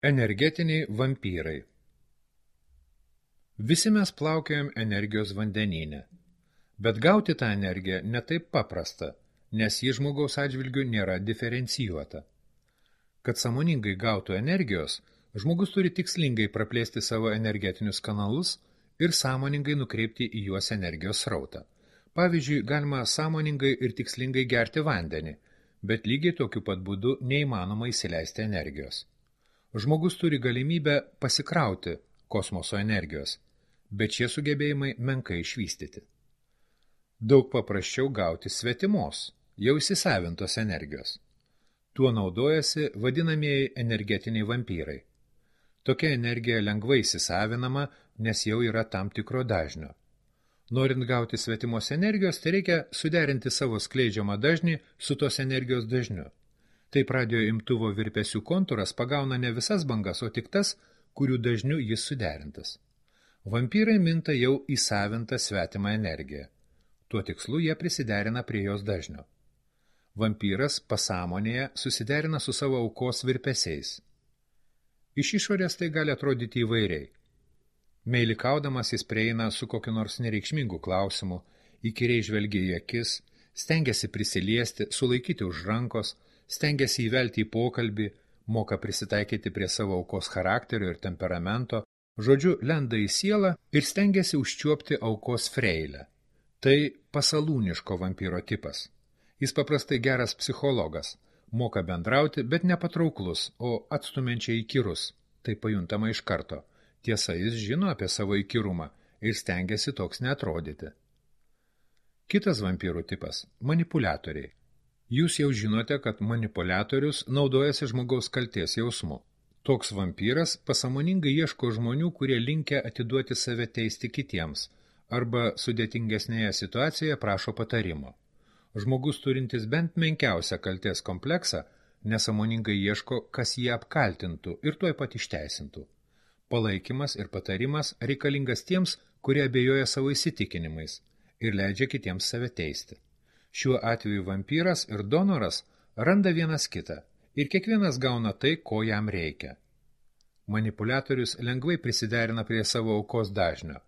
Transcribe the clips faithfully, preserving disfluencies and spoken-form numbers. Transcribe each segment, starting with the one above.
Energetiniai vampyrai. Visi mes plaukiojam energijos vandenyne, bet gauti tą energiją ne taip paprasta, nes ji žmogaus atžvilgiu nėra diferencijuota. Kad sąmoningai gautų energijos, žmogus turi tikslingai praplėsti savo energetinius kanalus ir sąmoningai nukreipti į juos energijos srautą. Pavyzdžiui, galima sąmoningai ir tikslingai gerti vandenį, bet lygiai tokiu pat būdu neįmanoma įsileisti energijos. Žmogus turi galimybę pasikrauti kosmoso energijos, bet šie sugebėjimai menkai išvystyti. Daug paprasčiau gauti svetimos, jau įsisavintos energijos. Tuo naudojasi vadinamieji energetiniai vampyrai. Tokia energija lengvai įsisavinama, nes jau yra tam tikro dažnio. Norint gauti svetimos energijos, tai reikia suderinti savo skleidžiamą dažnį su tos energijos dažniu. Taip radio imtuvo virpesių kontūras pagauna ne visas bangas, o tik tas, kurių dažniu jis suderintas. Vampyrai minta jau įsavintą svetimą energiją. Tuo tikslu jie prisiderina prie jos dažnio. Vampyras pasąmonėje susiderina su savo aukos virpesiais. Iš išorės tai gali atrodyti įvairiai. Meilikaudamas jis prieina su kokiu nors nereikšmingu klausimu, įkyriai žvelgia į akis, stengiasi prisiliesti, sulaikyti už rankos, stengiasi įvelti į pokalbį, moka prisitaikyti prie savo aukos charakterio ir temperamento, žodžiu, lenda į sielą ir stengiasi užčiuopti aukos freilę. Tai pasalūniško vampyro tipas. Jis paprastai geras psichologas, moka bendrauti, bet nepatrauklus, o atstumiančiai įkyrus. Tai pajuntama iš karto. Tiesa, jis žino apie savo įkyrumą ir stengiasi toks neatrodyti. Kitas vampyrų tipas – manipuliatoriai. Jūs jau žinote, kad manipuliatorius naudojasi žmogaus kaltės jausmu. Toks vampyras pasąmoningai ieško žmonių, kurie linkę atiduoti save teisti kitiems, arba sudėtingesnėje situacijoje prašo patarimo. Žmogus turintis bent menkiausią kaltės kompleksą, nesąmoningai ieško, kas jį apkaltintų ir tuoj pat išteisintų. Palaikymas ir patarimas reikalingas tiems, kurie abejoja savo įsitikinimais ir leidžia kitiems save teisti. Šiuo atveju vampyras ir donoras randa vienas kitą ir kiekvienas gauna tai, ko jam reikia. Manipuliatorius lengvai prisiderina prie savo aukos dažnio.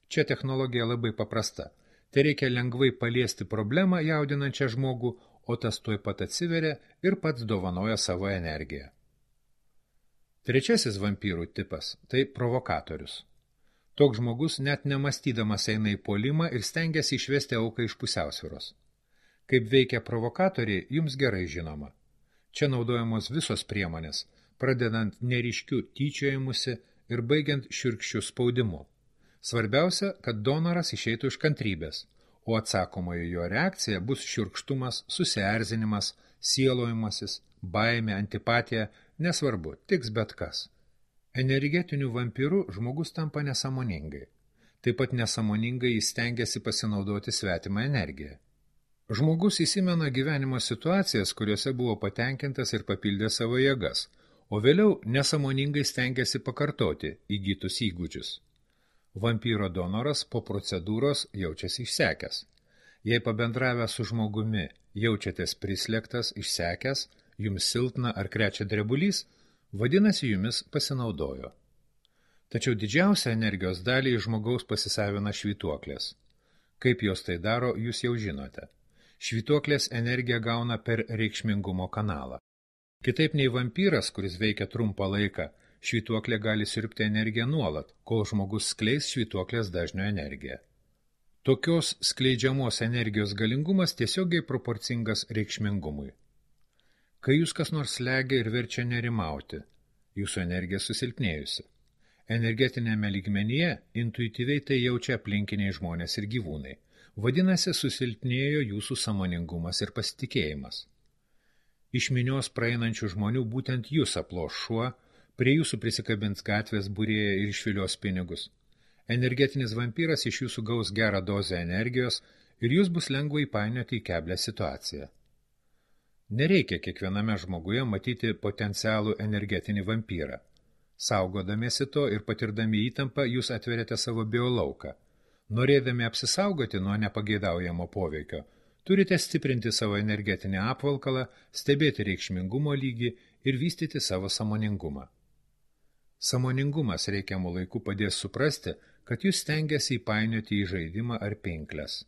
Čia technologija labai paprasta. Tai reikia lengvai paliesti problemą jaudinančią žmogų, o tas tuoj pat atsiveria ir pats dovanoja savo energiją. Trečiasis vampyrų tipas – tai provokatorius. Toks žmogus net nemastydamas eina į puolimą ir stengiasi išvesti auką iš pusiausvyros. Kaip veikia provokatoriai, jums gerai žinoma. Čia naudojamos visos priemonės, pradedant neryškiu tyčiojimusi ir baigiant šiurkščiu spaudimu. Svarbiausia, kad donoras išeitų iš kantrybės, o atsakomoji jo reakcija bus šiurkštumas, susierzinimas, sielojimasis, baimė, antipatija, nesvarbu, tiks bet kas. Energetiniu vampyru žmogus tampa nesąmoningai. Taip pat nesąmoningai jis stengiasi pasinaudoti svetimą energiją. Žmogus įsimena gyvenimo situacijas, kuriuose buvo patenkintas ir papildė savo jėgas, o vėliau nesąmoningai stengiasi pakartoti įgytus įgūdžius. Vampyro donoras po procedūros jaučiasi išsekęs. Jei pabendravę su žmogumi jaučiatės prislėgtas, išsekęs, jums silpna ar krečia drebulys, vadinasi jumis pasinaudojo. Tačiau didžiausią energijos dalį iš žmogaus pasisavina švytuoklės. Kaip jos tai daro, jūs jau žinote. Švytuoklės energiją gauna per reikšmingumo kanalą. Kitaip nei vampyras, kuris veikia trumpą laiką, švytuoklė gali siurbti energiją nuolat, kol žmogus skleis švytuoklės dažnio energiją. Tokios skleidžiamos energijos galingumas tiesiogiai proporcingas reikšmingumui. Kai jūs kas nors slegia ir verčia nerimauti, jūsų energija susilpnėjusi. Energetinėme lygmenyje intuityviai tai jaučia aplinkiniai žmonės ir gyvūnai. Vadinasi, susilpnėjo jūsų sąmoningumas ir pasitikėjimas. Iš minios praeinančių žmonių būtent jūs aploš šuo, prie jūsų prisikabins gatvės būrėja ir išvilios pinigus. Energetinis vampyras iš jūsų gaus gerą dozę energijos ir jūs bus lengva įpainioti į keblią situaciją. Nereikia kiekviename žmoguje matyti potencialų energetinį vampyrą. Saugodamiesi to ir patirdami įtampą, jūs atveriate savo biolauką. Norėdami apsisaugoti nuo nepageidaujamo poveikio, turite stiprinti savo energetinį apvalkalą, stebėti reikšmingumo lygį ir vystyti savo sąmoningumą. Sąmoningumas reikiamų laikų padės suprasti, kad jūs stengiasi įpainioti į žaidimą ar pinkles.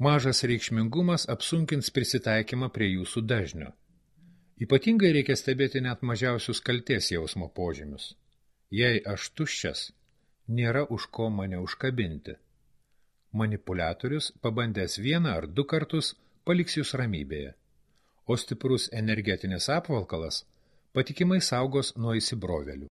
Mažas reikšmingumas apsunkins prisitaikymą prie jūsų dažnio. Ypatingai reikia stebėti net mažiausius kaltės jausmo požymius. Jei aš tuščias, nėra už ko mane užkabinti. Manipuliatorius, pabandęs vieną ar du kartus, paliks jūs ramybėje, o stiprus energetinis apvalkalas patikimai saugos nuo įsibrovėlių.